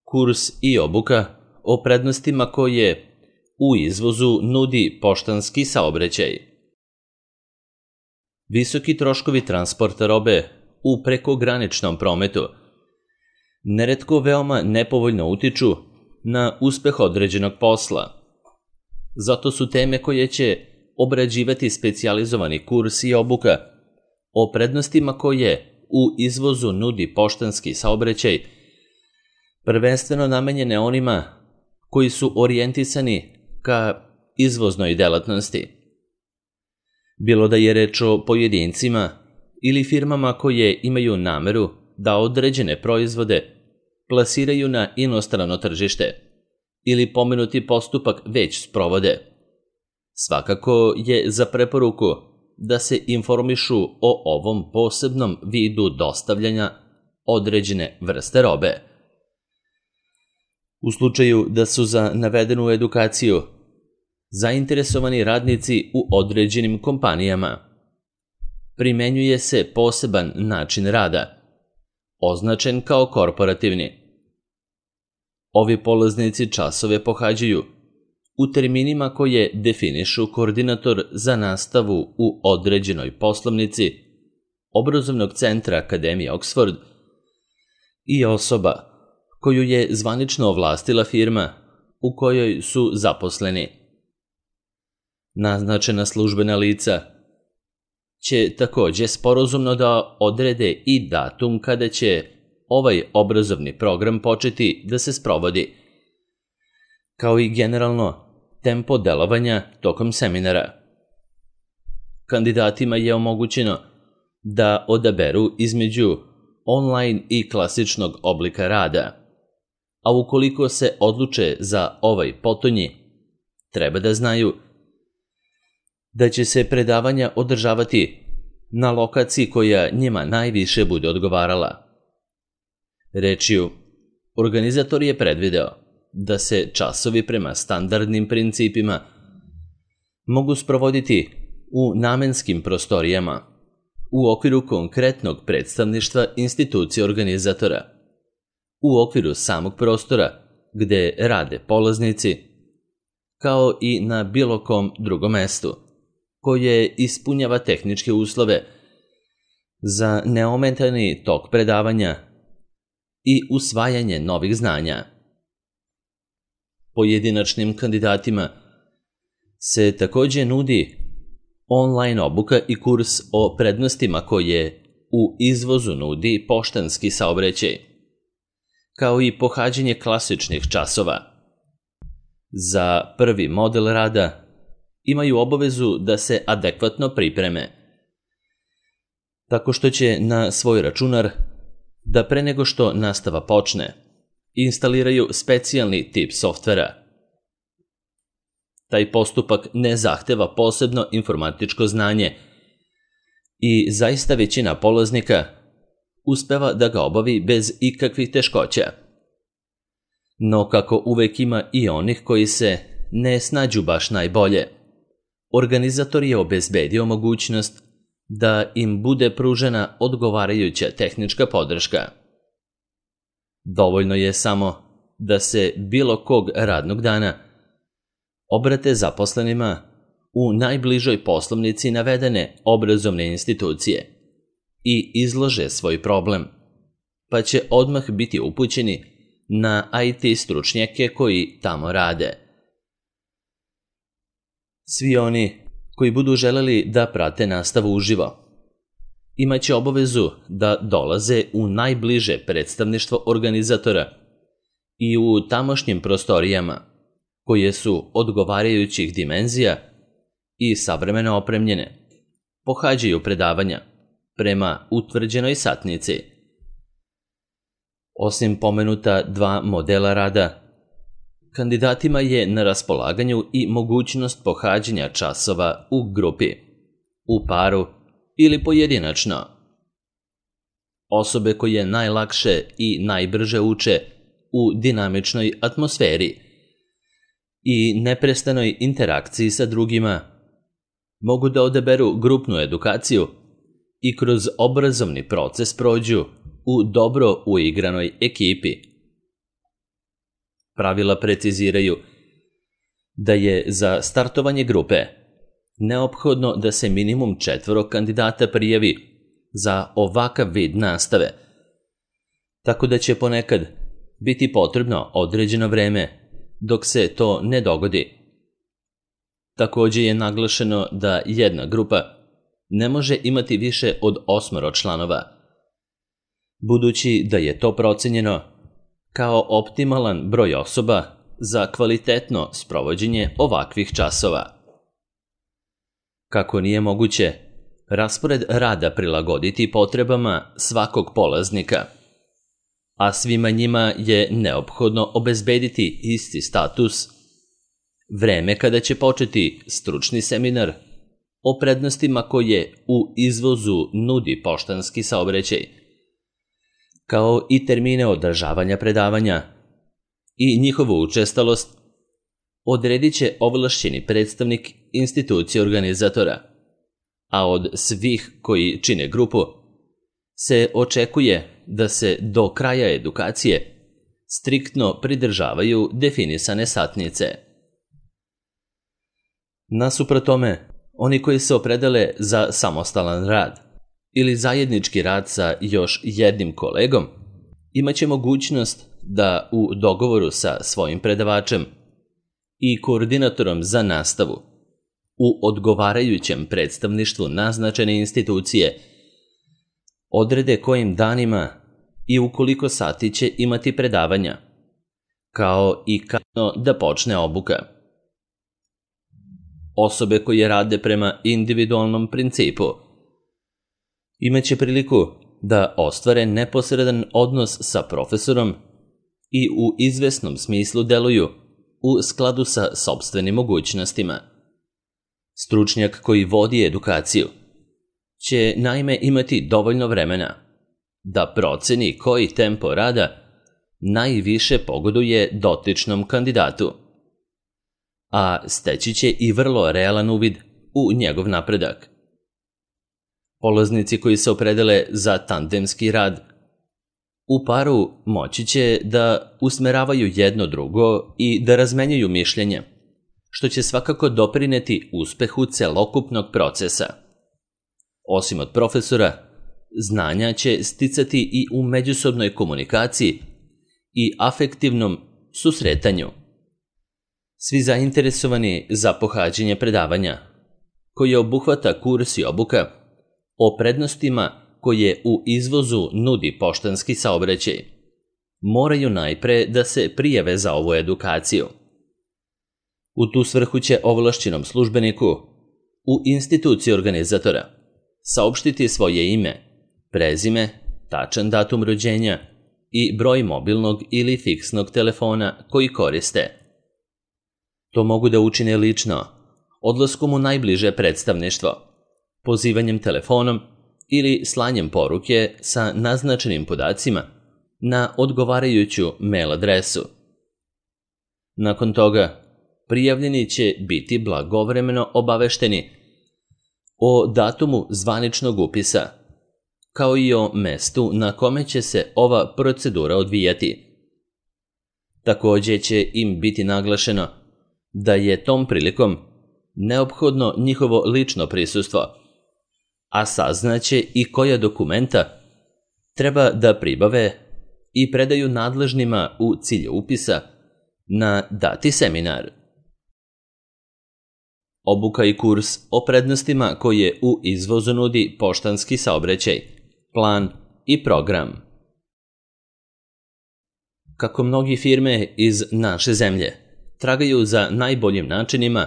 Kurs i obuka o prednostima koje u izvozu nudi poštanski saobraćaj. Visoki troškovi transporta robe u prekograničnom prometu neretko veoma nepovoljno utiču na uspeh određenog posla. Zato su teme koje će obrađivati specijalizovani kurs i obuka o prednostima koje u izvozu nudi poštanski saobraćaj prvenstveno namenjene onima koji su orijentisani ka izvoznoj delatnosti. Bilo da je reč o pojedincima ili firmama koje imaju nameru da određene proizvode plasiraju na inostrano tržište ili pomenuti postupak već sprovode. Svakako je za preporuku da se informišu o ovom posebnom vidu dostavljanja određene vrste robe. U slučaju da su za navedenu edukaciju zainteresovani radnici u određenim kompanijama, primenjuje se poseban način rada, označen kao korporativni. Ovi polaznici časove pohađaju u terminima koje definišu koordinator za nastavu u određenoj poslovnici obrazovnog centra Akademije Oxford i osoba koju je zvanično ovlastila firma u kojoj su zaposleni. Naznačena službena lica će takođe sporazumno da odrede i datum kada će ovaj obrazovni program početi da se sprovodi, kao i generalno tempo delovanja tokom seminara. Kandidatima je omogućeno da odaberu između online i klasičnog oblika rada, a ukoliko se odluče za ovaj potonji, treba da znaju da će se predavanja održavati na lokaciji koja njima najviše bude odgovarala. Rečju, organizator je predvideo da se časovi prema standardnim principima mogu sprovoditi u namenskim prostorijama u okviru konkretnog predstavništva institucije organizatora, u okviru samog prostora gde rade polaznici, kao i na bilo kom drugom mestu koje ispunjava tehničke uslove za neometani tok predavanja i usvajanje novih znanja. Pojedinačnim kandidatima se takođe nudi online obuka i kurs o prednostima koje u izvozu nudi poštanski saobraćaj, kao i pohađanje klasičnih časova. Za prvi model rada imaju obavezu da se adekvatno pripreme, tako što će na svoj računar da pre nego što nastava počne, instaliraju specijalni tip softvera. Taj postupak ne zahteva posebno informatičko znanje i zaista većina polaznika uspeva da ga obavi bez ikakvih teškoća. No kako uvek ima i onih koji se ne snađu baš najbolje, organizator je obezbedio mogućnost da im bude pružena odgovarajuća tehnička podrška. Dovoljno je samo da se bilo kog radnog dana obrate zaposlenima u najbližoj poslovnici navedene obrazovne institucije i izlože svoj problem, pa će odmah biti upućeni na IT stručnjake koji tamo rade. Svi oni koji budu želeli da prate nastavu uživo imaće obavezu da dolaze u najbliže predstavništvo organizatora i u tamošnjim prostorijama koje su odgovarajućih dimenzija i savremeno opremljene, pohađaju predavanja prema utvrđenoj satnici. Osim pomenuta dva modela rada, kandidatima je na raspolaganju i mogućnost pohađanja časova u grupi, u paru ili pojedinačno. Osobe koje najlakše i najbrže uče u dinamičnoj atmosferi i neprestanoj interakciji sa drugima mogu da odaberu grupnu edukaciju i kroz obrazovni proces prođu u dobro uigranoj ekipi. Pravila preciziraju da je za startovanje grupe neophodno da se minimum 4 kandidata prijavi za ovakav vid nastave, tako da će ponekad biti potrebno određeno vreme dok se to ne dogodi. Također je naglašeno da jedna grupa ne može imati više od 8 članova, budući da je to procenjeno kao optimalan broj osoba za kvalitetno sprovođenje ovakvih časova. Kako nije moguće raspored rada prilagoditi potrebama svakog polaznika, a svima njima je neophodno obezbediti isti status, vreme kada će početi stručni seminar o prednostima koje u izvozu nudi poštanski saobraćaj, kao i termine održavanja predavanja i njihovu učestalost, odredit će ovlašćeni predstavnik institucije organizatora, a od svih koji čine grupu se očekuje da se do kraja edukacije striktno pridržavaju definisane satnice. Nasuprot tome, oni koji se opredele za samostalan rad ili zajednički rad sa još jednim kolegom imaće mogućnost da u dogovoru sa svojim predavačem i koordinatorom za nastavu u odgovarajućem predstavništvu naznačene institucije odrede kojim danima i u koliko sati će imati predavanja, kao i kada da počne obuka. Osobe koje rade prema individualnom principu imaće priliku da ostvare neposredan odnos sa profesorom i u izvesnom smislu deluju u skladu sa sopstvenim mogućnostima. Stručnjak koji vodi edukaciju će naime imati dovoljno vremena da proceni koji tempo rada najviše pogoduje dotičnom kandidatu, a steći će i vrlo realan uvid u njegov napredak. Polaznici koji se opredele za tandemski rad u paru moći će da usmeravaju jedno drugo i da razmenjuju mišljenje, što će svakako doprineti uspehu celokupnog procesa. Osim od profesora, znanja će sticati i u međusobnoj komunikaciji i afektivnom susretanju. Svi zainteresovani za pohađanje predavanja, koje obuhvata kurs i obuka o prednostima koje u izvozu nudi poštanski saobraćaj, moraju najpre da se prijave za ovu edukaciju. U tu svrhu će ovlašćenom službeniku u instituciji organizatora saopštiti svoje ime, prezime, tačan datum rođenja i broj mobilnog ili fiksnog telefona koji koriste. To mogu da učine lično, odlaskom u najbliže predstavništvo, pozivanjem telefonom ili slanjem poruke sa naznačenim podacima na odgovarajuću mail adresu. Nakon toga, prijavljeni će biti blagovremeno obavešteni o datumu zvaničnog upisa, kao i o mestu na kome će se ova procedura odvijati. Također će im biti naglašeno da je tom prilikom neophodno njihovo lično prisustvo, a saznaće i koja dokumenta treba da pribave i predaju nadležnima u cilju upisa na dati seminar. Obuka i kurs o prednostima koje u izvozu nudi poštanski saobraćaj, plan i program. Kako mnogi firme iz naše zemlje tragaju za najboljim načinima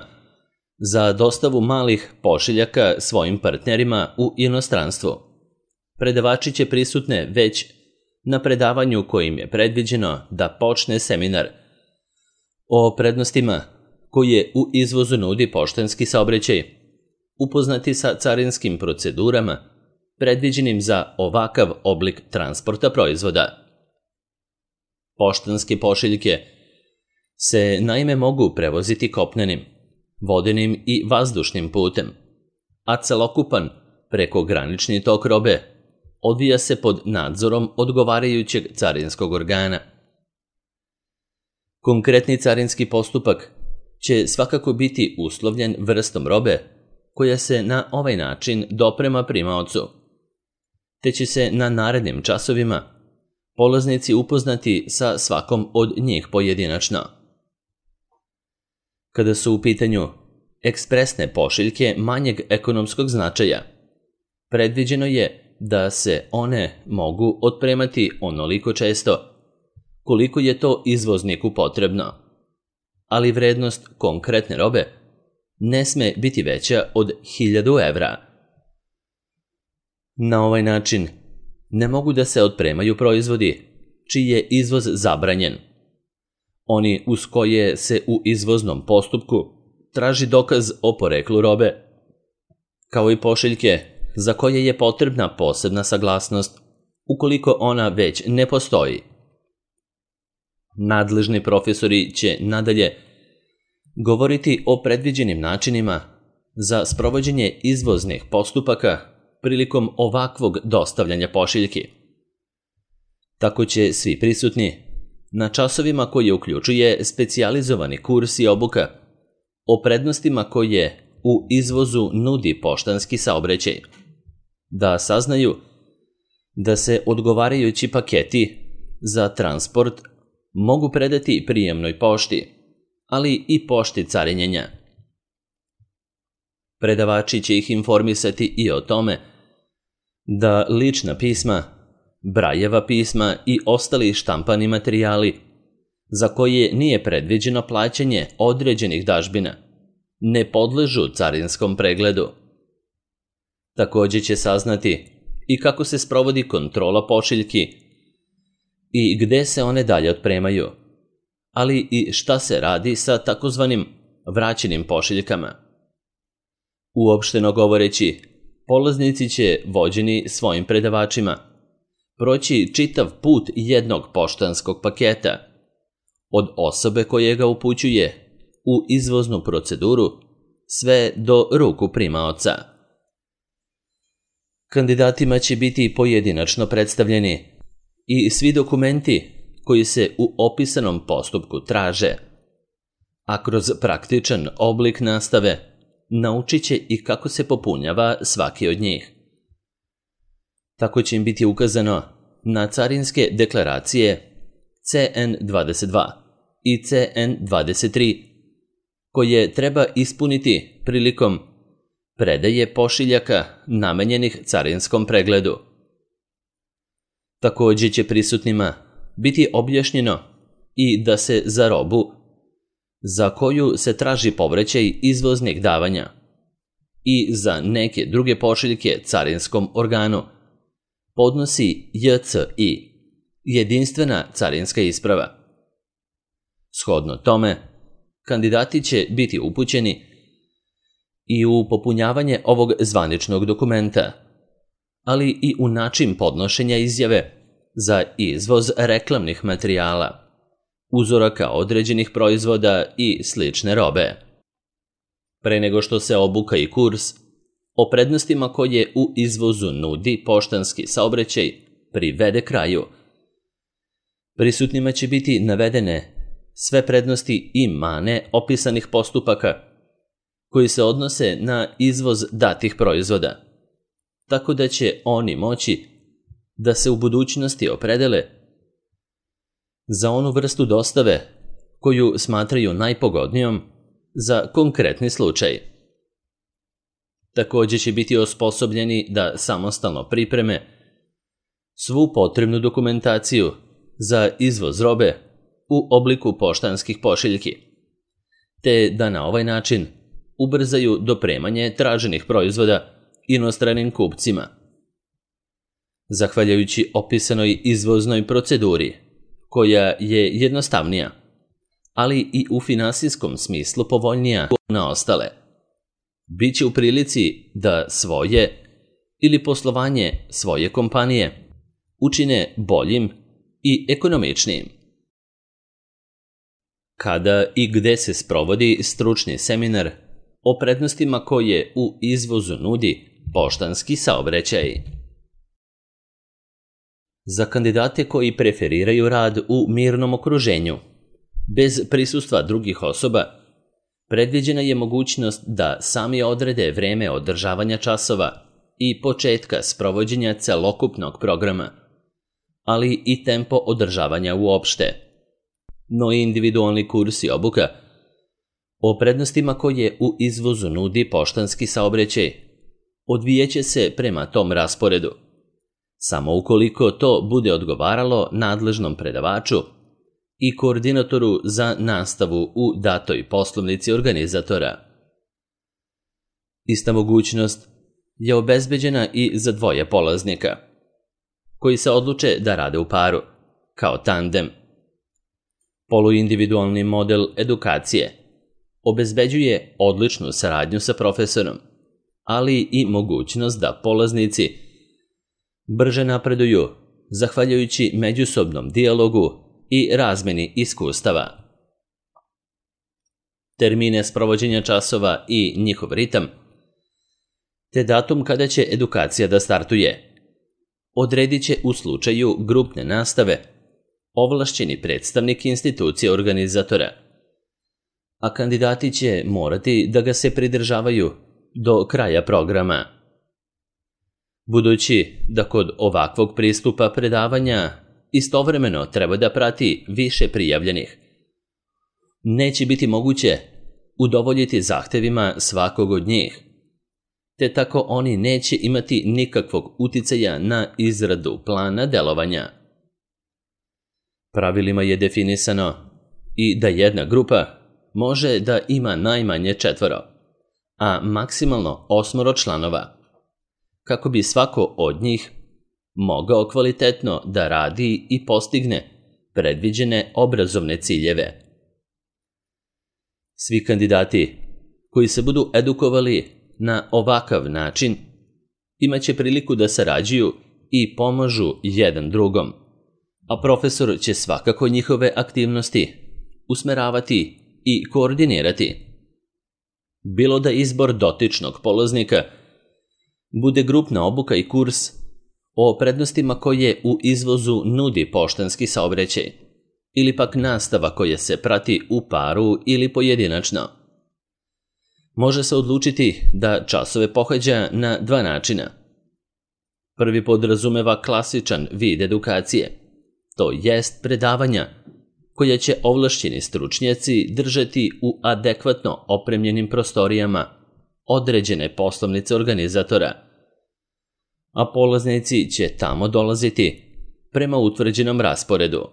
za dostavu malih pošiljaka svojim partnerima u inostranstvu, predavači će prisutne već na predavanju kojim je predviđeno da počne seminar o prednostima koje u izvozu nudi poštanski saobraćaj, upoznati sa carinskim procedurama predviđenim za ovakav oblik transporta proizvoda. Poštanske pošiljke se naime mogu prevoziti kopnenim, vodenim i vazdušnim putem, a celokupan prekogranični tok robe odvija se pod nadzorom odgovarajućeg carinskog organa. Konkretni carinski postupak će svakako biti uslovljen vrstom robe koja se na ovaj način doprema primaocu, te će se na narednim časovima polaznici upoznati sa svakom od njih pojedinačno. Kada su u pitanju ekspresne pošiljke manjeg ekonomskog značaja, predviđeno je da se one mogu otpremati onoliko često koliko je to izvozniku potrebno, ali vrednost konkretne robe ne sme biti veća od 1000 evra. Na ovaj način ne mogu da se otpremaju proizvodi čiji je izvoz zabranjen, oni uz koje se u izvoznom postupku traži dokaz o poreklu robe, kao i pošiljke za koje je potrebna posebna saglasnost ukoliko ona već ne postoji. Nadležni profesori će nadalje govoriti o predviđenim načinima za sprovođenje izvoznih postupaka prilikom ovakvog dostavljanja pošiljki. Tako će svi prisutni na časovima koje uključuje specijalizovani kurs i obuka o prednostima koje u izvozu nudi poštanski saobraćaj, da saznaju da se odgovarajući paketi za transport mogu predati prijemnoj pošti, ali i pošti carinjenja. Predavači će ih informisati i o tome da lična pisma, Brajeva pisma i ostali štampani materijali za koje nije predviđeno plaćanje određenih dažbina ne podležu carinskom pregledu. Također će saznati i kako se sprovodi kontrola pošiljki i gde se one dalje otpremaju, ali i šta se radi sa takozvanim vraćenim pošiljkama. Uopšteno govoreći, polaznici će, vođeni svojim predavačima, proći čitav put jednog poštanskog paketa, od osobe koje ga upućuje u izvoznu proceduru sve do ruku primaoca. Kandidatima će biti pojedinačno predstavljeni i svi dokumenti koji se u opisanom postupku traže, a kroz praktičan oblik nastave naučit će i kako se popunjava svaki od njih. Tako će im biti ukazano na carinske deklaracije CN22 i CN23 koje treba ispuniti prilikom predaje pošiljaka namenjenih carinskom pregledu. Također će prisutnima biti objašnjeno i da se za robu za koju se traži povraćaj izvoznih davanja i za neke druge pošiljke carinskom organu podnosi JCI, jedinstvena carinska isprava. Shodno tome, kandidati će biti upućeni i u popunjavanje ovog zvaničnog dokumenta, ali i u način podnošenja izjave za izvoz reklamnih materijala, uzoraka određenih proizvoda i slične robe. Pre nego što se obuka i kurs o prednostima koje u izvozu nudi poštanski saobraćaj privede kraju, prisutnima će biti navedene sve prednosti i mane opisanih postupaka koji se odnose na izvoz datih proizvoda, tako da će oni moći da se u budućnosti opredele za onu vrstu dostave koju smatraju najpogodnijom za konkretni slučaj. Također će biti osposobljeni da samostalno pripreme svu potrebnu dokumentaciju za izvoz robe u obliku poštanskih pošiljki, te da na ovaj način ubrzaju dopremanje traženih proizvoda inostranim kupcima. Zahvaljujući opisanoj izvoznoj proceduri, koja je jednostavnija, ali i u finansijskom smislu povoljnija na ostale, bit će u prilici da svoje ili poslovanje svoje kompanije učine boljim i ekonomičnijim. Kada i gde se sprovodi stručni seminar o prednostima koje u izvozu nudi poštanski saobraćaj? Za kandidate koji preferiraju rad u mirnom okruženju, Bez prisustva drugih osoba, predviđena je mogućnost da sami odrede vreme održavanja časova i početka sprovođenja celokupnog programa, ali i tempo održavanja uopšte. No i individualni kurs i obuka o prednostima koje u izvozu nudi poštanski saobraćaj odvijeće se prema tom rasporedu, samo ukoliko to bude odgovaralo nadležnom predavaču i koordinatoru za nastavu u datoj poslovnici organizatora. Ista mogućnost je obezbeđena i za dvoje polaznika, koji se odluče da rade u paru, kao tandem. Poluindividualni model edukacije obezbeđuje odličnu saradnju sa profesorom, ali i mogućnost da polaznici brže napreduju zahvaljujući međusobnom dijalogu i razmeni iskustava. Termine sprovođenja časova i njihov ritam, te datum kada će edukacija da startuje, odredit će u slučaju grupne nastave ovlašćeni predstavnik institucije organizatora, a kandidati će morati da ga se pridržavaju do kraja programa. Budući da kod ovakvog pristupa predavanja istovremeno treba da prati više prijavljenih, neće biti moguće udovoljiti zahtevima svakog od njih, te tako oni neće imati nikakvog uticaja na izradu plana delovanja. Pravilima je definisano i da jedna grupa može da ima najmanje 4, a maksimalno 8 članova, kako bi svako od njih mogao kvalitetno da radi i postigne predviđene obrazovne ciljeve. Svi kandidati koji se budu edukovali na ovakav način imaće priliku da sarađuju i pomažu jedan drugom, a profesor će svakako njihove aktivnosti usmeravati i koordinirati. Bilo da izbor dotičnog polaznika bude grupna obuka i kurs o prednostima koje u izvozu nudi poštanski saobraćaj, ili pak nastava koja se prati u paru ili pojedinačno. Može se odlučiti da časove pohađa na 2 načina. Prvi podrazumeva klasičan vid edukacije, to jest predavanja koja će ovlašćeni stručnjaci držati u adekvatno opremljenim prostorijama određene poslovnice organizatora, a polaznici će tamo dolaziti prema utvrđenom rasporedu.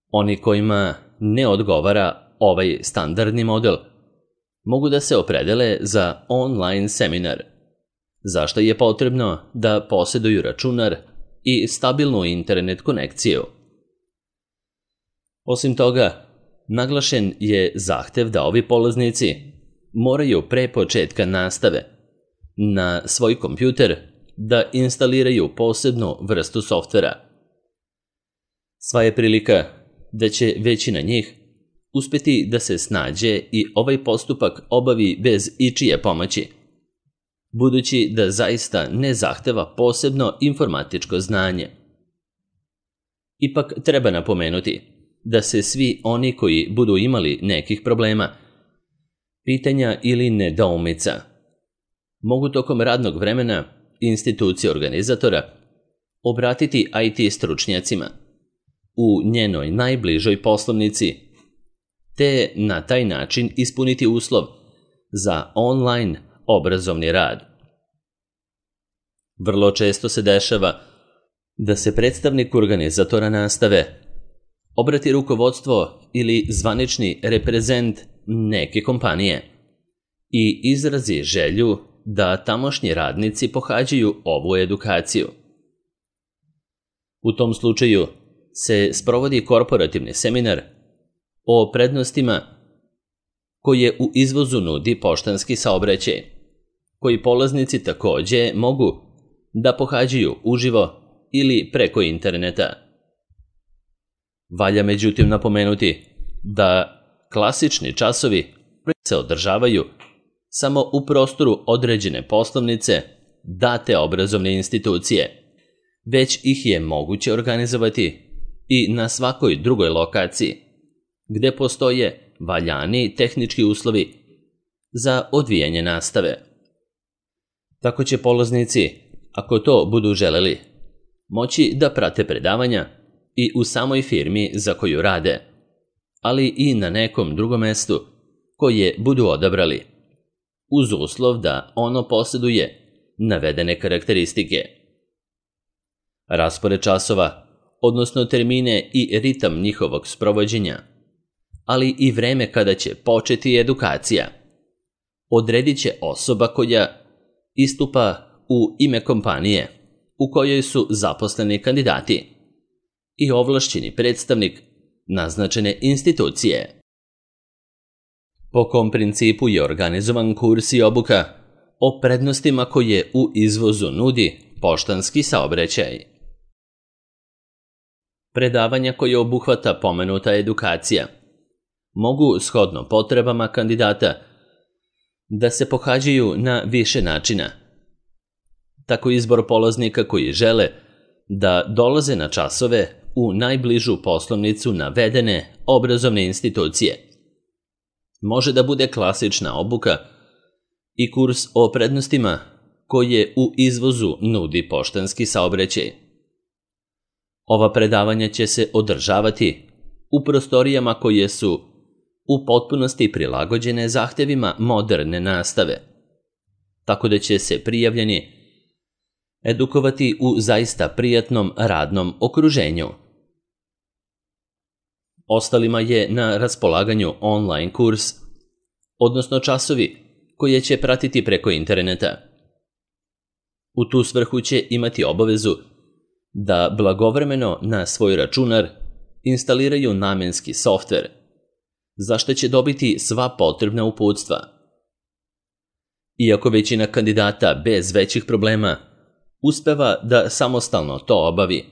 Oni kojima ne odgovara ovaj standardni model mogu da se opredele za online seminar, za što je potrebno da posjeduju računar i stabilnu internet konekciju. Osim toga, naglašen je zahtev da ovi polaznici moraju pre početka nastave na svoj kompjuter da instaliraju posebnu vrstu softvera. Sva je prilika da će većina njih uspjeti da se snađe i ovaj postupak obavi bez ičije pomoći, budući da zaista ne zahteva posebno informatičko znanje. Ipak treba napomenuti da se svi oni koji budu imali nekih problema, pitanja ili nedoumica mogu tokom radnog vremena institucije organizatora obratiti IT stručnjacima u njenoj najbližoj poslovnici, te na taj način ispuniti uslov za online obrazovni rad. Vrlo često se dešava da se predstavnik organizatora nastave obrati rukovodstvo ili zvanični reprezent neke kompanije i izrazi želju da tamošnji radnici pohađaju ovu edukaciju. U tom slučaju se sprovodi korporativni seminar o prednostima koje u izvozu nudi poštanski saobraćaj, koji polaznici takođe mogu da pohađaju uživo ili preko interneta. Valja međutim napomenuti da klasični časovi se održavaju samo u prostoru određene poslovnice date obrazovne institucije, već ih je moguće organizovati i na svakoj drugoj lokaciji, gde postoje valjani tehnički uslovi za odvijanje nastave. Tako će polaznici, ako to budu želeli, moći da prate predavanja i u samoj firmi za koju rade, ali i na nekom drugom mestu koje budu odabrali, uz uslov da ono posjeduje navedene karakteristike. Raspored časova, odnosno termine i ritam njihovog sprovođenja, ali i vreme kada će početi edukacija, odredit će osoba koja istupa u ime kompanije u kojoj su zaposleni kandidati i ovlašćeni predstavnik naznačene institucije. Po kom principu je organizovan kurs i obuka o prednostima koje u izvozu nudi poštanski saobraćaj. Predavanja koje obuhvata pomenuta edukacija mogu, shodno potrebama kandidata, da se pohađaju na više načina. Tako izbor polaznika koji žele da dolaze na časove u najbližu poslovnicu navedene obrazovne institucije može da bude klasična obuka i kurs o prednostima koje u izvozu nudi poštanski saobraćaj. Ova predavanja će se održavati u prostorijama koje su u potpunosti prilagođene zahtevima moderne nastave, tako da će se prijavljeni edukovati u zaista prijatnom radnom okruženju. Ostalima je na raspolaganju online kurs, odnosno časovi koje će pratiti preko interneta. U tu svrhu će imati obavezu da blagovremeno na svoj računar instaliraju namenski softver, za što će dobiti sva potrebna uputstva. Iako većina kandidata bez većih problema uspeva da samostalno to obavi,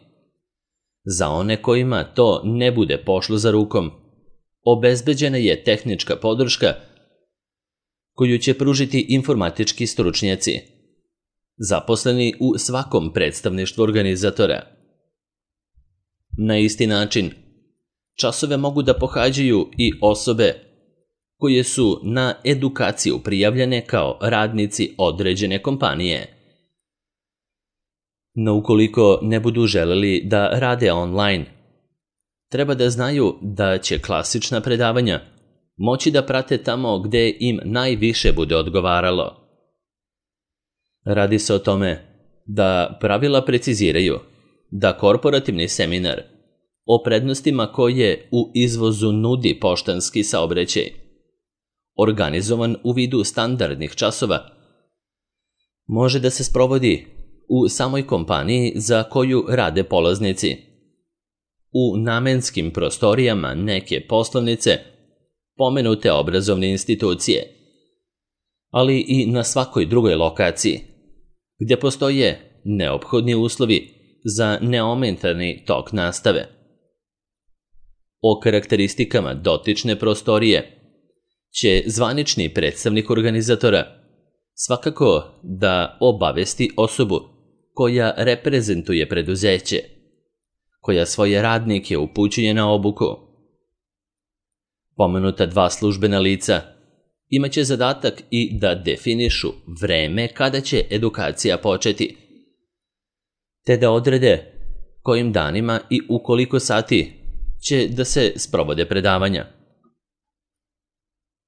za one kojima to ne bude pošlo za rukom, obezbeđena je tehnička podrška koju će pružiti informatički stručnjaci, zaposleni u svakom predstavništvu organizatora. Na isti način, časove mogu da pohađaju i osobe koje su na edukaciju prijavljene kao radnici određene kompanije. No ukoliko ne budu želeli da rade online, treba da znaju da će klasična predavanja moći da prate tamo gde im najviše bude odgovaralo. Radi se o tome da pravila preciziraju da korporativni seminar o prednostima koje u izvozu nudi poštanski saobraćaj, organizovan u vidu standardnih časova, može da se sprovodi u samoj kompaniji za koju rade polaznici, u namenskim prostorijama neke poslovnice pomenute obrazovne institucije, ali i na svakoj drugoj lokaciji, gdje postoje neophodni uslovi za neometani tok nastave. O karakteristikama dotične prostorije će zvanični predstavnik organizatora svakako da obavesti osobu koja reprezentuje preduzeće, koja svoje radnike upućuje na obuku. Pomenuta dva službena lica imaće zadatak i da definišu vreme kada će edukacija početi, te da odrede kojim danima i u koliko sati će da se sprovode predavanja.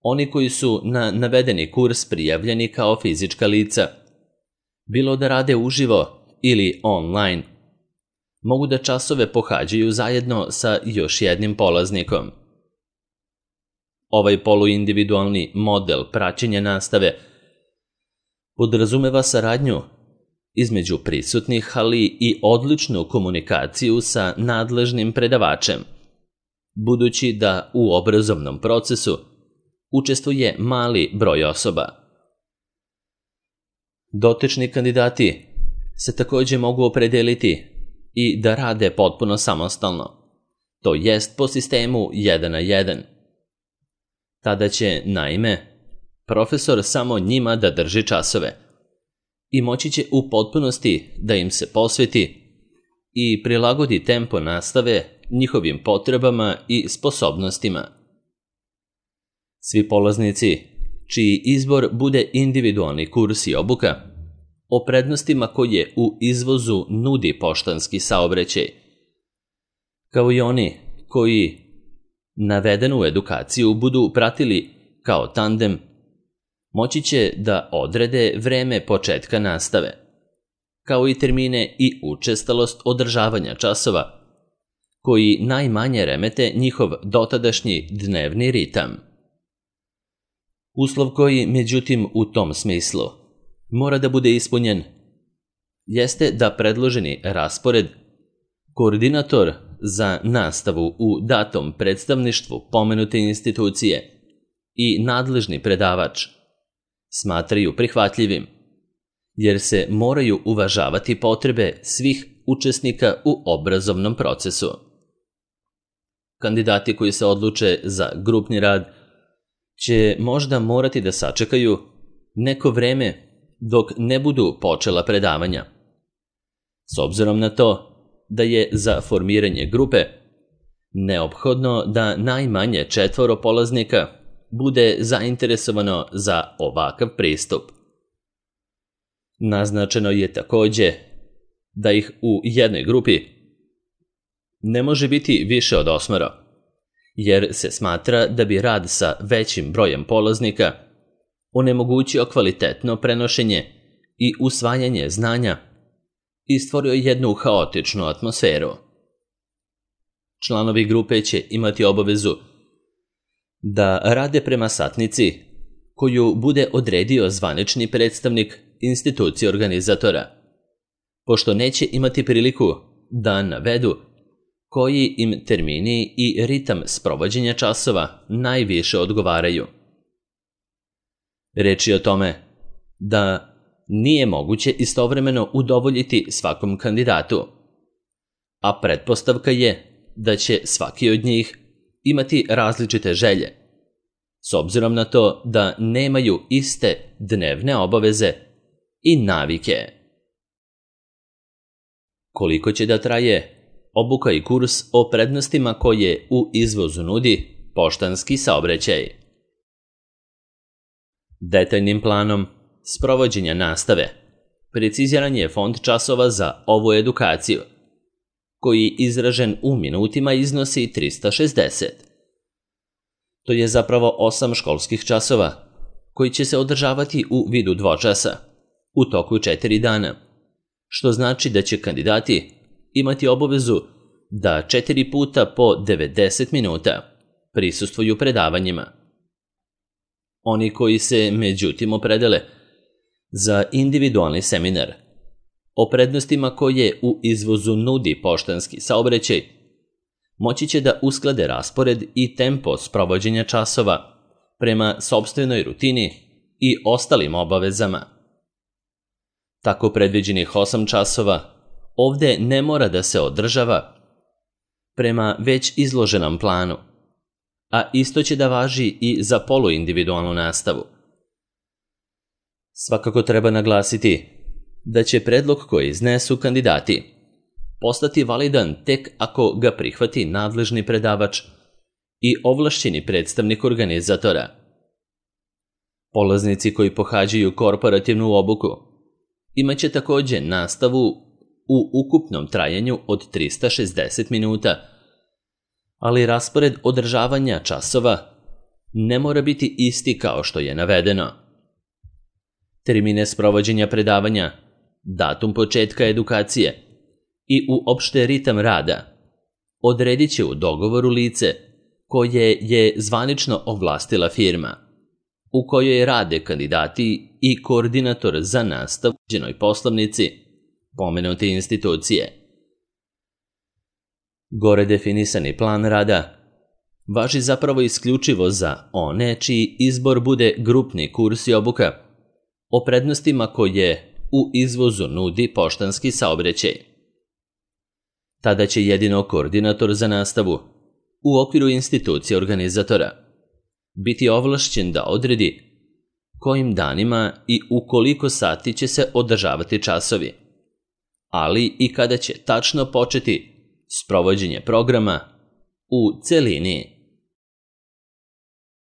Oni koji su na navedeni kurs prijavljeni kao fizička lica, bilo da rade uživo ili online, mogu da časove pohađaju zajedno sa još jednim polaznikom. Ovaj poluindividualni model praćenja nastave podrazumeva saradnju između prisutnih, ali i odličnu komunikaciju sa nadležnim predavačem, budući da u obrazovnom procesu učestvuje mali broj osoba. Dotični kandidati se također mogu opredeliti i da rade potpuno samostalno, to jest po sistemu 1 na 1. Tada će, naime, profesor samo njima da drži časove i moći će u potpunosti da im se posveti i prilagodi tempo nastave njihovim potrebama i sposobnostima. Svi polaznici, čiji izbor bude individualni kurs i obuka, o prednostima koje u izvozu nudi poštanski saobraćaj, kao i oni koji navedenu edukaciju budu pratili kao tandem, moći će da odrede vreme početka nastave, kao i termine i učestalost održavanja časova, koji najmanje remete njihov dotadašnji dnevni ritam. Uslov koji, međutim, u tom smislu mora da bude ispunjen jeste da predloženi raspored koordinator za nastavu u datom predstavništvu pomenute institucije i nadležni predavač smatraju prihvatljivim, jer se moraju uvažavati potrebe svih učesnika u obrazovnom procesu. Kandidati koji se odluče za grupni rad će možda morati da sačekaju neko vreme dok ne budu počela predavanja, s obzirom na to da je za formiranje grupe neophodno da najmanje 4 polaznika bude zainteresovano za ovakav pristup. Naznačeno je takođe da ih u jednoj grupi ne može biti više od 8, jer se smatra da bi rad sa većim brojem polaznika onemogućio kvalitetno prenošenje i usvajanje znanja i stvorio jednu haotičnu atmosferu. Članovi grupe će imati obavezu da rade prema satnici koju bude odredio zvanični predstavnik institucije organizatora, pošto neće imati priliku da navedu koji im termini i ritam sprovođenja časova najviše odgovaraju. Reč je o tome da nije moguće istovremeno udovoljiti svakom kandidatu, a pretpostavka je da će svaki od njih imati različite želje, s obzirom na to da nemaju iste dnevne obaveze i navike. Koliko će da traje obuka i kurs o prednostima koje u izvozu nudi poštanski saobraćaj? Detaljnim planom sprovođenja nastave preciziran je fond časova za ovu edukaciju, koji izražen u minutima iznosi 360. To je zapravo 8 školskih časova, koji će se održavati u vidu dvočasa, u toku 4 dana, što znači da će kandidati imati obavezu da 4 puta po 90 minuta prisustvuju predavanjima. Oni koji se međutim opredele za individualni seminar o prednostima koje u izvozu nudi poštanski saobraćaj, moći će da usklade raspored i tempo sprovođenja časova prema sopstvenoj rutini i ostalim obavezama. Tako predviđenih 8 časova ovde ne mora da se održava prema već izloženom planu, a isto će da važi i za poluindividualnu nastavu. Svakako treba naglasiti da će predlog koji iznesu kandidati postati validan tek ako ga prihvati nadležni predavač i ovlašćeni predstavnik organizatora. Polaznici koji pohađaju korporativnu obuku imaće takođe nastavu u ukupnom trajanju od 360 minuta, ali raspored održavanja časova ne mora biti isti kao što je navedeno. Termine sprovođenja predavanja, datum početka edukacije i uopšte ritam rada odredit će u dogovoru lice koje je zvanično ovlastila firma, u kojoj rade kandidati i koordinator za nastavu u određenoj poslovnici pomenute institucije. Gore definisani plan rada važi zapravo isključivo za one čiji izbor bude grupni kurs i obuka o prednostima koje u izvozu nudi poštanski saobraćaj. Tada će jedino koordinator za nastavu u okviru institucije organizatora biti ovlašćen da odredi kojim danima i u koliko sati će se održavati časovi, ali i kada će tačno početi sprovođenje programa u celini.